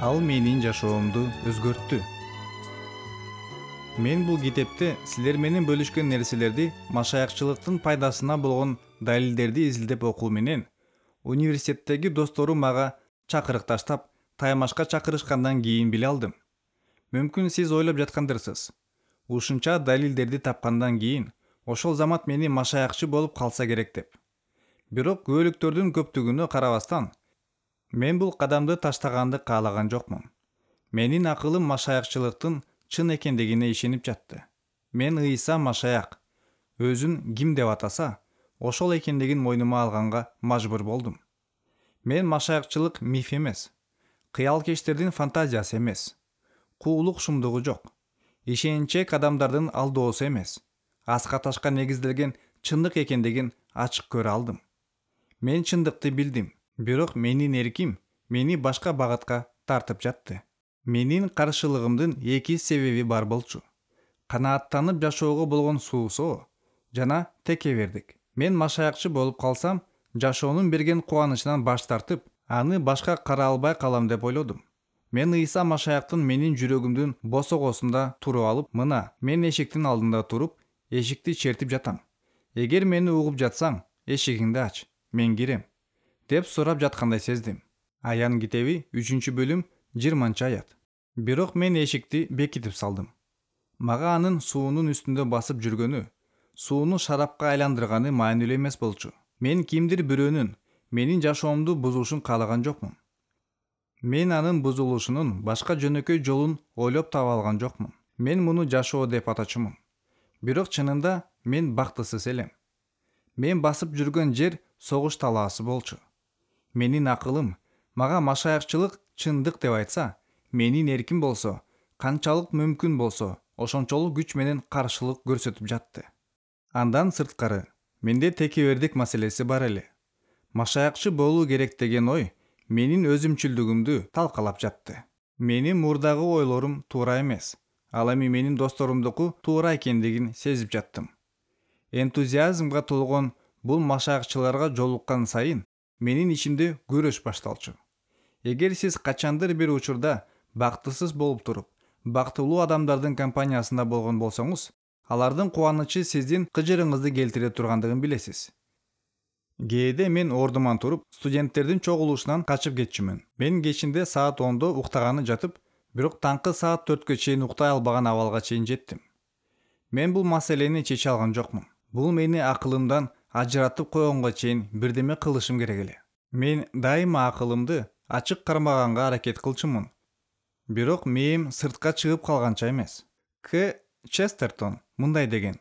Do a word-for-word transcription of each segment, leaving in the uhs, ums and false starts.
Ал менин жашоомду өзгөрттү. Мен бул китепте силер менен бөлүшкөн нерселерди машаякчылыктын пайдасына болгон далилдерди изилдеп окуу менен университеттеги досторум мага чакырык таштап таймашка чакырышкандан кийин биле алдым. Мүмкүн сиз ойлоп жаткандырсыз. Ушунча далилдерди тапкандан кийин ошол замат мени машаякчы болуп калса керек деп. Бирок күбөлүктөрдүн көптүгүнө карабастан мен бул кадамды таштаганды каалаган жокмун. Менин акылым машаякчылыктын чын экендигине ишенип жатты. Мен Ыйса Машаяк өзүн ким деп атаса, ошол экендигин мойнума алганга мажбур болдум. Мен машаякчылык миф эмес, кыялкечтердин фантазиясы эмес, куулук шумдугу жок, ишенчек адамдардын алдоосу эмес, аска ташка негизделген чындык экендигин ачык көрө алдым. Мен чындыкты билдим, бирок менин эрким мени башка багытка тартып жатты. Менин каршылыгымдын эки себеби бар болчу. Канааттанып жашоого болгон суусоо жана текебердик. Мен машаякчы болуп калсам, жашоонун берген кубанычынан баш тартып, аны башка кара албай калам деп ойлодум. Мен Ыйса Машаяктын менин жүрөгүмдүн босогосунда туруп алып, мына, мен эшиктин алдында туруп, эшикти чертип жатам. Эгер мени угуп жатсаң, эшигиңди ач, мен кирем, деп сурап жаткандай сездим. Аян китеби үчүнчү бөлүм жыйырманчы аят. Бирок мен эшикти бекитип салдым. Мага анын суунун үстүндө басып жүргөнү, сууну шарапка айландырганы маанилүү эмес болчу. Мен кимдир бирөөнүн менин жашоомду бузушун каалаган жокмун. Мен анын бузулушунун башка жөнөкөй жолун ойлоп таба алган жокмун. Мен муну жашоо деп атачумун. Бирок чынында мен бактысыз элем. Мен басып жүргөн жер согуш талаасы болчу. Менин акылым мага машаякчылык чындык деп айтса, менин эрким болсо, канчалык мүмкүн болсо, ошончолук күч менен каршылык көрсөтүп жатты. Андан сырткары, менде текебердик маселеси бар эле. Машаякчы болуу керек деген ой менин өзүмчүлдүгүмдү талкалап жатты. Менин мурдагы ойлорум туура эмес. Ал эми менин досторумдуку туура экендигин сезип жаттым. Энтузиазмга толгон бул машаякчыларга жолуккан сайын менин ичимде күрөш башталчу. Эгер сиз качандыр бир учурда бактысыз болуп туруп, бактылуу адамдардын компаниясында болгон болсоңуз, алардын кубанычы сиздин кыжырыңызды келтире тургандыгын билесиз. Кээде мен ордуман туруп, студенттердин чогулушунан качып кетчүмүн. Мен кечинде саат ондо уктаганы жатып, бирок таңкы саат төрткө чейин уктай албаган абалга чейин жеттим. Мен бул маселени чече алган жокмун. Бул мени акылымдан ажыратып койгонго чейин бирдеме кылышым керек эле. Мен дайыма акылымды ачык кармаганга аракет кылчумун. Бирок мээм сыртка чыгып калганча эмес. К. Честертон мындай деген: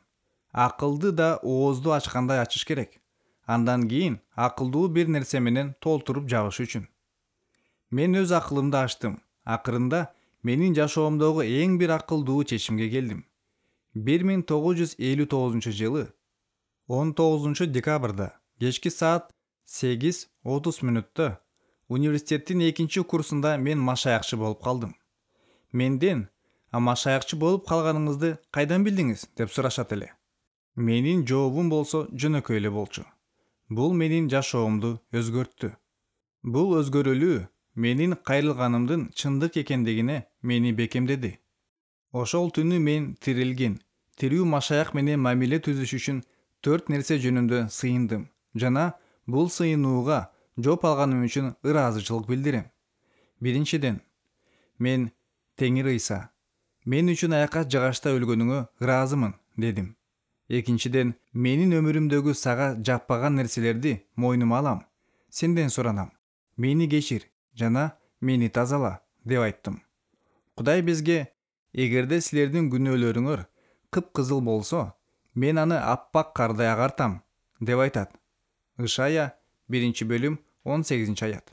акылды да оозду ачкандай ачыш керек. Андан кийин акылдуу бир нерсе менен толтуруп жабыш үчүн. Мен өз акылымды ачтым. Акырында менин жашоомдогу эң бир акылдуу чечимге келдим. бир миң тогуз жүз элүү тогузунчу жылы он тогузунчу декабрда кечки саат сегиз отуз мүнөттө университеттин экинчи курсунда мен машаякчы болуп калдым. Менден: "А машаякчы болуп калганыңызды кайдан билдиңиз?" деп сурашат эле. Менин жообум болсо жөнөкөй эле болчу. Бул менин жашоомду өзгөрттү. Бул өзгөрүүлүү менин кайрылганымдын чындык экендигине мени бекемдеди. Ошол түнү мен тирилген, тирүү машаяк менен мамиле түзүш үчүн төрт нерсе жөнүндө сыйындым жана бул сыйынууга жооп алганым үчүн ыраазычылык билдирем. Биринчиден, мен: "Теңир Ыйса, мен үчүн аякка жыгачта өлгөнүңө ыраазымын", дедим. Экинчиден, менин өмүрүмдөгү сага жакпаган нерселерди мойнума алам. Сенден суранам. Мени кечир жана мени тазала, деп айттым. Кудай бизге: "Эгерде силердин күнөөлөрүңөр кыпкызыл болсо, мен аны аппак кардай агартам", деп айтат. Ышая биринчи бөлүм он сегизинчи аят.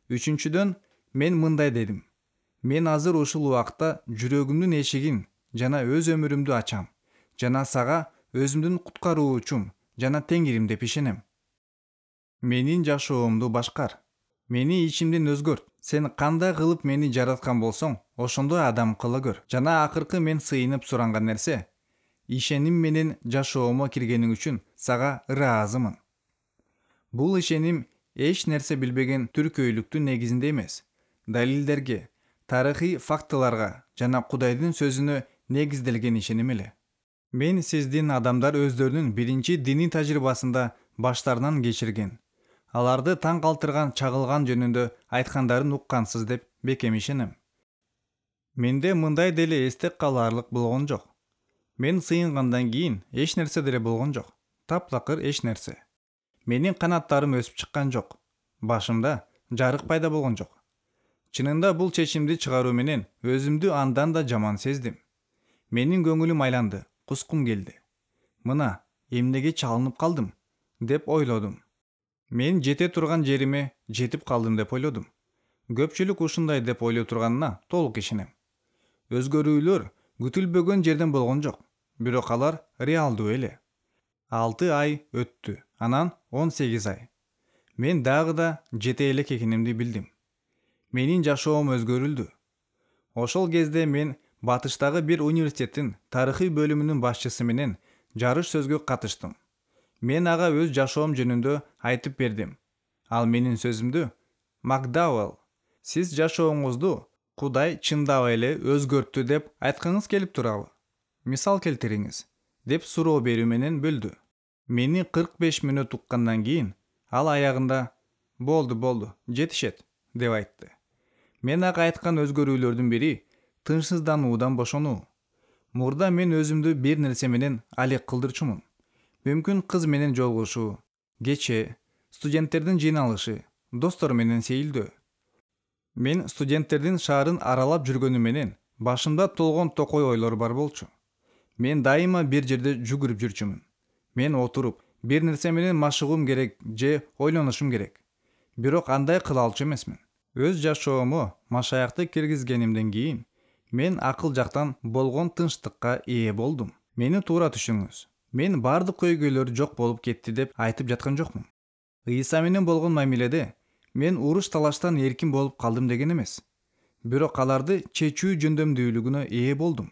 Үчүнчүдөн, мен мындай дедим: "Мен азыр ушул убакта жүрөгүмдүн эшигин жана өз өмүрүмдү ачам жана сага өзүмдүн куткаруучум жана Теңирим деп ишенем. Менин жашоомду башкар. Мени ичимден өзгөрт. Сен кандай кылып мени жараткан болсоң, ошондой адам кыла көр. Жана акыркы мен сыйынып суранган нерсе: ишеним менен жашоомо киргениң үчүн сага ыраазымын". Бул ишеним эч нерсе билбеген түркөйлүктүн негизинде эмес, далилдерге, тарыхый фактыларга жана Кудайдын сөзүнө негизделген ишеним эле. Мен сиздин адамдар өздөрүнүн биринчи диний тажрыйбасында баштарынан кечирген, аларды таң калтырган чагылган жөнүндө айткандарын уккансыз деп бекем ишенем. Менде мындай деле эсте калаарлык болгон жок. Мен сыйынгандан кийин эч нерсе деле болгон жок. Таптакыр эч нерсе. Менин канаттарым өсүп чыккан жок. Башымда жарык пайда болгон жок. Чынында бул чечимди чыгаруу менен өзүмдү андан да жаман сездим. Менин көңүлүм айланды, кускум келди. Мына, эмнеге чалынып калдым деп ойлодум. Мен жете турган жериме жетип калдым деп ойлодум. Көпчүлүк ушундай деп ойлой турганына толук ишенем. Өзгөрүүлөр күтүлбөгөн жерден болгон жок, бирок алар реалдуу эле. алты ай өттү, анан он сегиз ай. Мен дагы да жете элек экенимди билдим. Менин жашоом өзгөрүлдү. Ошол кезде мен Батыштагы бир университеттин тарыхый бөлүмүнүн башчысы менен жарыш сөзгө катыштым. Мен ага өз жашоом жөнүндө айтып бердим. Ал менин сөзүмдү: "Макдауэлл, сиз жашооңузду Кудай чындап эле өзгөрттү деп айткыңыз келип турабы? Мисал келтириңиз", деп суроо берүү менен бөлдү. Мени кырк беш мүнөт уккандан кийин ал аягында "Болду, болду, жетишет" деп айтты. Мен ага айткан өзгөрүүлөрдүн бири тынчсыздануудан бошонуу. Мурда мен өзүмдү бир нерсе менен алек кылдырчумун. Мүмкүн кыз менен жолугушуу, кече, студенттердин жыйналышы, достор менен сейилдөө. Мен студенттердин шаарын аралап жүргөнүм менен башымда толгон токой ойлор бар болчу. Мен дайыма бир жерде жүгүрүп жүрчүмүн. Мен отуруп, бир нерсе менен машыгуум керек же ойлонушум керек. Бирок андай кыла алчу эмесмин. Өз жашоомо машаякты киргизгенимден кийин мен акыл жактан болгон тынчтыкка ээ болдум. Мени туура түшүнүңүз. Мен бардык көйгөйлөр жок болуп кетти деп айтып жаткан жокмун. Ыйса менен болгон мамиледе мен уруш талаштан эркин болуп калдым деген эмес. Бирок аларды чечүү жөндөмдүүлүгүнө ээ болдум.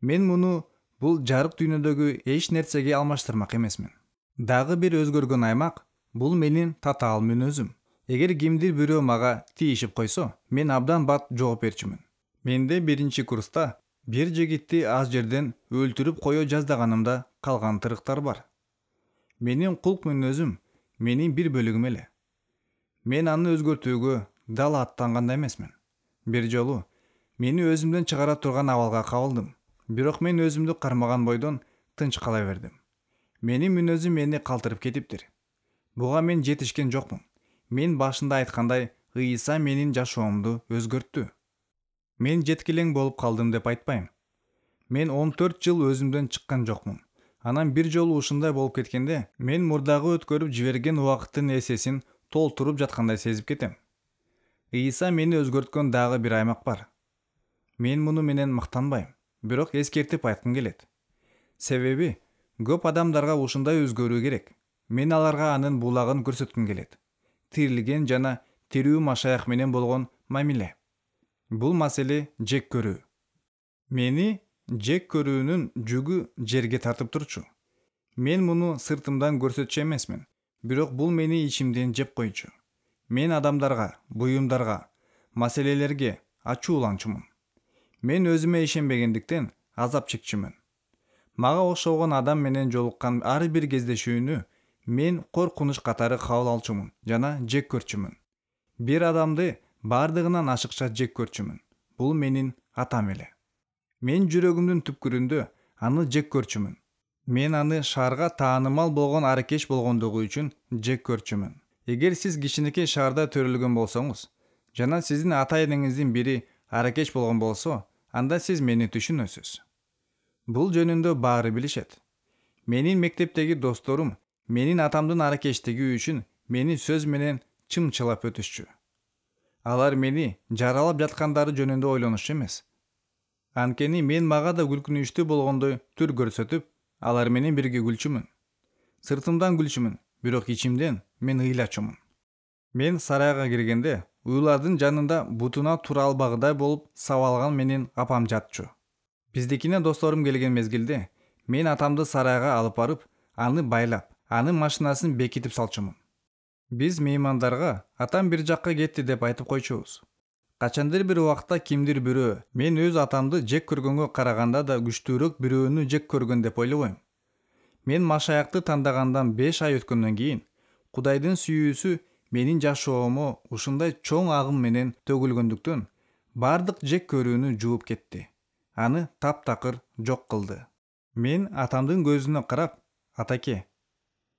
Мен муну бул жарык дүйнөдөгү эч нерсеге алмаштырмак эмесмин. Дагы бир өзгөргөн аймак бул менин татаал мүнөзүм. Эгер кимдир бирөө мага тийишип койсо, мен абдан бат жооп берчүмүн. Менде биринчи курста бир жигитти аз жерден өлтүрүп кое жаздаганымда калган тырыктар бар. Менин кулк мүнөзүм менин бир бөлүгүм эле. Мен аны өзгөртүүгө дал аттанган да эмесмин. Бир жолу мени өзүмдөн чыгара турган абалга кабылдым. Бирок мен өзүмдү кармаган бойдон тынч кала бердим. Менин мүнөзүм мени калтырып кетиптир. Буга мен жетишкен жокмун. Мен башында айткандай, Ыйса менин жашоомду өзгөрттү. Мен жеткилең болуп калдым деп айтпайм. Мен он төрт жыл өзүмдөн чыккан жокмун. Анан бир жолу ушундай болуп кеткенде, мен мурдагы өткөрүп жиберген убакыттын эсесин толтуруп жаткандай сезип кетем. Ыйса мени өзгөрткөн дагы бир аймак бар. Мен муну менен мактанбайм, бирок эскертип айткым келет. Себеби көп адамдарга ушундай өзгөрүү керек. Мен аларга анын булагын көрсөткүм келет. Тирилген жана тирүү машаях менен болгон мамиле. Бул маселе жек көрүү. Мени жек көрүүнүн жүгү жерге тартып турчу. Мен муну сыртымдан көрсөтчү эмесмин, бирок бул мени ичимден жеп койчу. Мен адамдарга, буюмдарга, маселелерге ачууланчумун. Мен өзүмө ишенбегендиктен азап чекчүмүн. Мага окшогон адам менен жолуккан ар бир кездешүүнү мен коркунуч катары кабыл алчумун жана жек көрчүмүн. Бир адамды бардыгынан ашыкча жек көрчүмүн. Бул менин атам эле. Мен жүрөгүмдүн түпкүрүндө аны жек көрчүмүн. Мен аны шаарга таанымал болгон аракеш болгондугу үчүн жек көрчүмүн. Эгер сиз кичинекей шаарда төрөлгөн болсоңуз, жана сиздин ата-энеңиздин бири аракеш болгон болсо, анда сиз мени түшүнөсүз. Бул жөнүндө баары билишет. Менин мектептеги досторум менин атамдын аракештиги үчүн мени сөз менен чымчылап өтүшчү. Алар мени жаралап жаткандары жөнүндө ойлонушчу эмес. Анткени мен мага да күлкүнүчтүү болгондой түр көрсөтүп, алар менен бирге күлчүмүн. Сыртымдан күлчүмүн, бирок ичимден мен ыйлачумун. Мен сарайга киргенде, уйлардын жанында бутуна тура албагыдай болуп сабалган менин апам жатчу. Биздикине досторум келген мезгилде, мен атамды сарайга алып барып, аны байлап, анын машинасын бекитип салчумун. Биз меймандарга атам бир жакка кетти деп айтып койчубуз. Качандыр бир убакта кимдир бирөө мен өз атамды жек көргөнгө караганда да күчтүүрөөк бирөөнү жек көргөн деп ойлобойм. Мен Машаякты тандагандан беш ай өткөндөн кийин Кудайдын сүйүүсү менин жашоомо ушундай чоң агым менен төгүлгөндүктөн бардык жек көрүүнү жууп кетти. Аны таптакыр жок кылды. Мен атамдын көзүнө карап, атаке,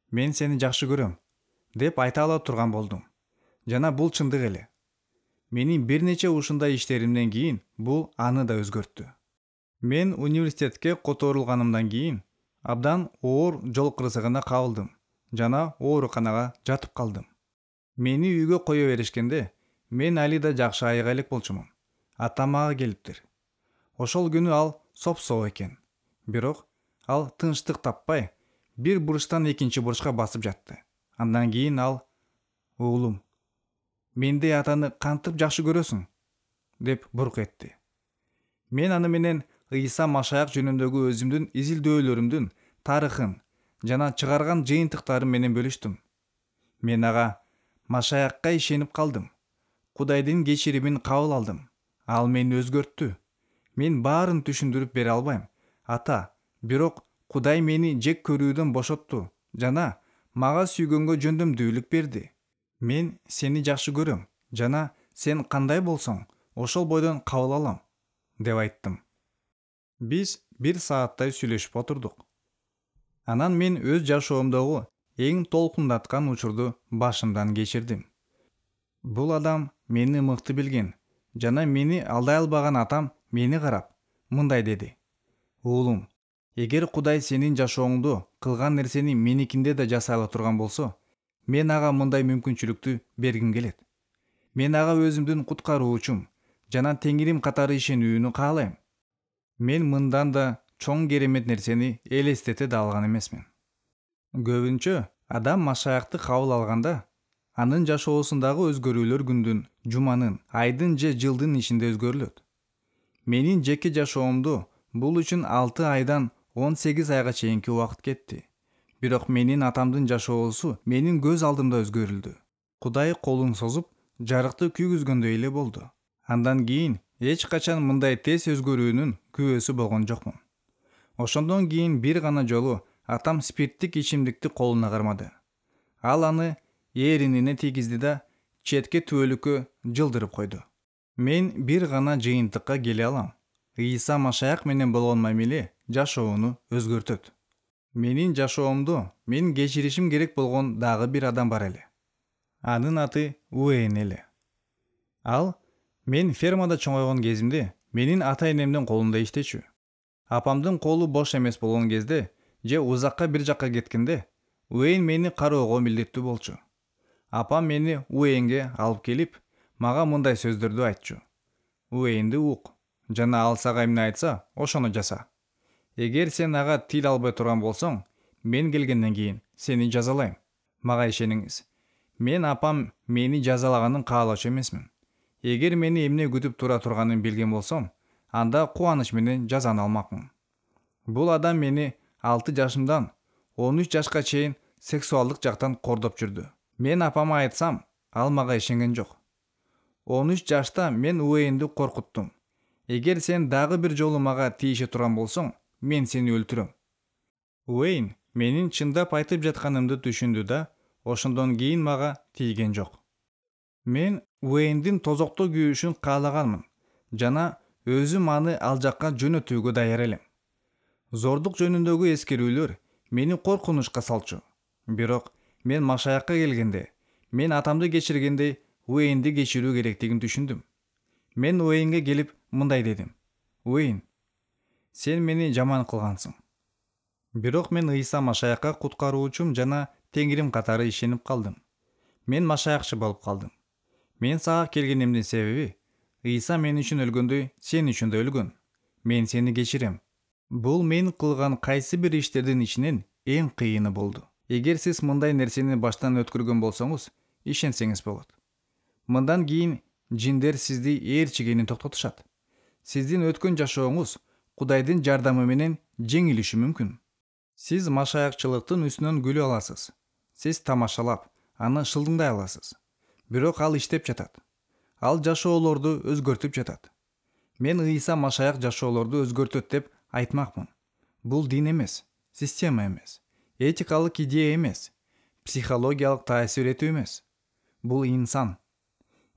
мен сени жакшы көрөм, деп айта ала турган болдум. Жана бул чындык эле. Менин бир нече ушундай иштеримден кийин бул аны да өзгөрттү. Мен университетке которулганымдан кийин абдан оор жол кырсыгына кабылдым жана ооруканага жатып калдым. Мени үйгө кое беришкенде мен али да жакшы айыга элек болчумун. Атам мага келиптир. Ошол күнү ал соп-соо экен. Бирок ал тынчтык таппай бир бурчтан экинчи бурчка басып жатты. Андан кийин ал: "Уулум, мендей атаны кантип жакшы көрөсүң?" деп бурк этти. Мен аны менен Ыйса Машаяк жөнүндөгү өзүмдүн изилдөөлөрүмдүн тарыхын жана чыгарган жыйынтыктарым менен бөлүштүм. Мен ага Машаякка ишенип калдым. Кудайдын кечиримин кабыл алдым. Ал мени өзгөрттү. Мен баарын түшүндүрүп бере албайм, ата, бирок Кудай мени жек көрүүдөн бошотту жана мага сүйгөнгө жөндөмдүүлүк берди. Мен сени жакшы көрөм жана сен кандай болсоң, ошол бойдон кабыл алам, деп айттым. Биз бир сааттай сүйлөшүп отурдук. Анан мен өз жашоомдогу эң толкундаткан учурду башымдан кечирдим. Бул адам мени мыкты билген жана мени алдай албаган атам мени карап мындай деди: "Уулум, эгер Кудай сенин жашооңдо кылган нерсени меникинде да жасай ала турган болсо, мен ага мындай мүмкүнчүлүктү бергим келет. Мен ага өзүмдүн куткаруучум жана Теңирим катары ишенүүнү каалайм. Мен мындан да чоң керемет нерсени элестете да алган эмесмин." Көбүнчө адам Машаякты кабыл алганда анын жашоосундагы өзгөрүүлөр күндүн, жуманын, айдын же жылдын ичинде өзгөрүлөт. Менин жеке жашоомдо бул үчүн алты айдан он сегиз айга чейинки убакыт кетти. Бирок менин атамдын жашоосу менин көз алдымда өзгөрүлдү. Кудай колун созуп, жарыкты күйгүзгөндөй эле болду. Андан кийин эч качан мындай тез өзгөрүүнүн күбөсү болгон жокмун. Ошондон кийин бир гана жолу атам спирттик ичимдикти колуна кармады. Ал аны эринине тийгизди да четке түбөлүккө жылдырып койду. Мен бир гана жыйынтыкка келе алам. Ыйса Машаяк менен болгон мамиле жашоону өзгөртөт. Менин жашоомдо мен кечиришим керек болгон дагы бир адам бар эле. Анын аты Уэйн эле. Ал мен фермада чоңойгон кезимде менин ата-энемдин колунда иштечү. Апамдын колу бош эмес болгон кезде же узакка бир жакка кеткенде Уэйн мени кароого милдеттүү болчу. Апам мени Уэйнге алып келип, мага мындай сөздөрдү айтчу: "Уэйнди ук, жана ал сага эмне айтса, ошону жаса. Эгер сен ага тил албай турган болсоң, мен келгенден кийин сени жазалайм. Мага ишениңиз. Мен апам мени жазалаганын каалоочу эмесмин. Эгер мени эмне күтүп тура турганын билген болсом, анда кубаныч менен жазаны алмакмын." Бул адам мени алты жашымдан он үч жашка чейин сексуалдык жактан кордоп жүрдү. Мен апама айтсам, ал мага ишенген жок. он үч жашта мен Уэйнди коркуттум. Эгер сен дагы бир жолу мага тийише турган болсоң, мен сени өлтүрөм. Уэйн менин чындап айтып жатканымды түшүндү да, ошондон кийин мага тийген жок. Мен Уэйндин тозоктоо күйүшүн каалаганмын жана өзүм аны ал жакка жөнөтүүгө даяр элем. Зордук жөнүндөгү эскерүүлөр мени коркунучка салчу. Бирок мен Машаякка келгенде, мен атамды кечиргендей Уэйнди кечирүү керектигин түшүндүм. Мен Уэйнге келип мындай дедим: "Уэйн, сен мени жаман кылгансың. Бирок мен Ыйса Машаякка куткаруучум жана Теңирим катары ишенип калдым. Мен Машаякчы болуп калдым. Мен сага келгенимдин себеби Ыйса мен үчүн өлгөндөй сен үчүн да өлгөн. Мен сени кечирем. Бул мен кылган кайсы бир иштердин ичинен эң кыйыны болду. Эгер сиз мындай нерсени баштан өткөргөн болсоңуз, ишенсеңиз болот. Мындан кийин жиндер сизди ээрчигени токтотушат. Сиздин өткөн жашооңуз Кудайдын жардамы менен жеңилиши мүмкүн. Сиз машаякчылыктын үстүнөн күлүп аласыз. Сиз тамашалап, аны шылдыңдай аласыз. Бирок ал иштеп жатат. Ал жашоолорду өзгөртүп жатат. Мен Ыйса Машаяк жашоолорду өзгөртөт деп айтмакмын. Бул дин эмес, система эмес, этикалык идея эмес, психологиялык таасир этүү эмес. Бул инсан.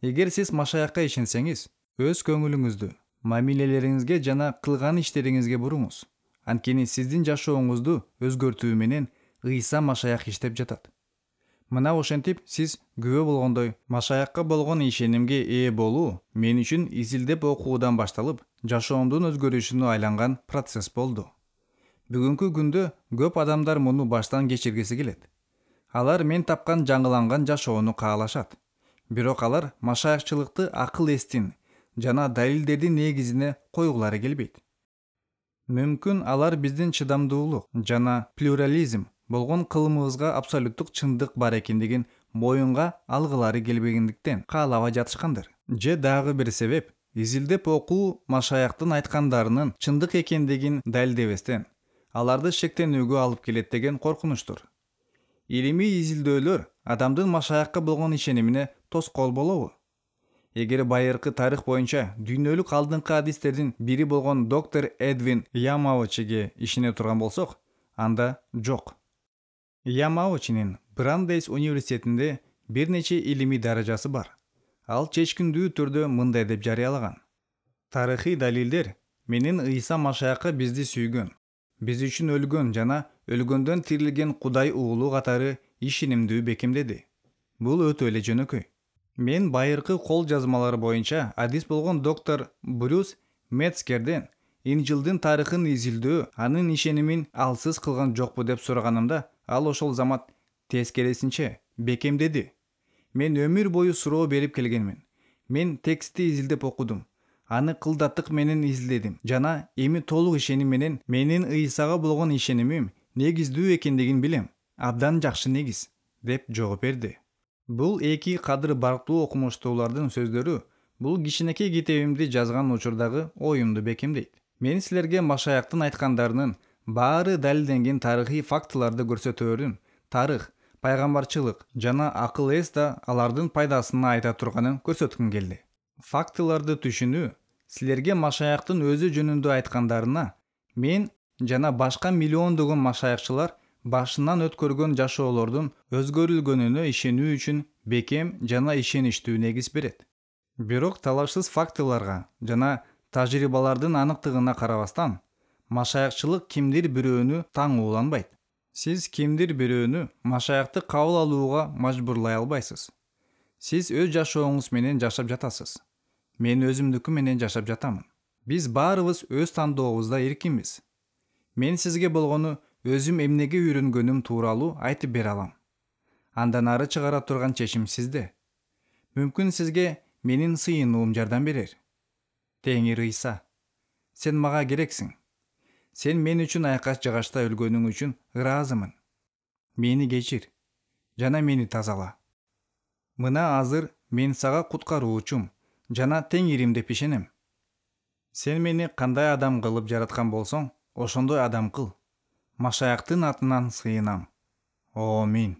Эгер сиз Машаякка ишенсеңиз, өз көңүлүңүздү, мамилелериңизге жана кылган иштериңизге буруңуз. Анткени сиздин жашооңузду өзгөртүү менен Ыйса Машаяк иштеп жатат. Мына ошентип сиз күбө болгондой, Машаякка болгон ишенимге ээ болуу мен үчүн изилдеп окуудан башталып, жашоомдун өзгөрүшүнө айланган процесс болду. Бүгүнкү күндө көп адамдар муну баштан кечиргиси келет. Алар мен тапкан жаңыланган жашоону каалашат. Бирок алар машаякчылыкты акыл эстин жана далилдердин негизине койгулары келбейт. Мүмкүн алар биздин чыдамдуулук жана плюрализм болгон кылымыбызга абсолюттук чындык бар экендигин моюнга алгылары келбегендиктен каалабай жатышкандыр. Же дагы бир себеп изилдеп окуу Машаяктын айткандарынын чындык экендигин далилдебестен аларды шектенүүгө алып келет деген коркунучтур. Илимий изилдөөлөр адамдын Машаякка болгон ишенимине тоскоол болобу? Эгер байыркы тарых боюнча дүйнөлүк алдыңкы адистердин бири болгон доктор Эдвин Ямаучиге ишене турган болсок, анда жок. Ямаучинин Брандейс университетинде бир нече илимий даражасы бар. Ал чечкиндүү түрдө мындай деп жарыялаган: тарыхый далилдер менин Ыйса Машаякка бизди сүйгөн, биз үчүн өлгөн жана өлгөндөн тирилген Кудай уулу катары ишенимдүү бекемдеди. Бул өтө эле жөнөкөй. Мен байыркы кол жазмалар боюнча адис болгон доктор Брюс Мецкерден Инжилдин тарыхын изилдөө анын ишенимин алсыз кылган жокпу деп сураганымда, ал ошол замат тескерисинче бекемдеди. Мен өмүр бою суроо берип келгенмин. Мен текстти изилдеп окудум. Аны кылдаттык менен изилдедим жана эми толук ишеним менен менин Ыйсага болгон ишенимим негиздүү экендигин билем. Абдан жакшы негиз, деп жооп берди. Бул эки кадыр барктуу окумуштуулардын сөздөрү бул кичинекей китебимди жазган учурдагы оюмду бекемдейт. Мен силерге Машаяктын айткандарынын баары далилденген тарыхый фактыларды көрсөтөөрүн, тарых, пайгамбарчылык жана акыл эс да алардын пайдасына айта турганын көрсөткүм келди. Фактыларды түшүнүү силерге Машаяктын өзү жөнүндө айткандарына мен жана башка миллиондогон машаякчылар башынан өткөргөн жашоолордун өзгөрүлгөнүнө ишенүү үчүн бекем жана ишеничтүү негиз берет. Бирок талашсыз фактыларга жана тажрыйбалардын аныктыгына карабастан, машаякчылык кимдир бирөөнү таңууланбайт. Сиз кимдир бирөөнү Машаякты кабыл алууга мажбурлай албайсыз. Сиз өз жашооңуз менен жашап жатасыз. Мен өзүмдүкү менен жашап жатамын. Биз баарыбыз өз тандообузда эркинбиз. Мен сизге болгону өзүм эмнеге үйрөнгөнүм тууралуу айтып бере алам. Андан ары чыгара турган чечим сизде. Мүмкүн сизге менин сыйынуум жардам берер. Теңир Ыйса, сен мага керексиң. Сен мен үчүн айкаш жагачта өлгөнүң үчүн ыраазымын. Мени кечир жана мени тазала. Мына азыр мен сага куткаруучум жана теңирим деп ишенем. Сен мени кандай адам кылып жараткан болсоң, ошондой адам кыл. Машаяктын атынан сыйынам. Амин.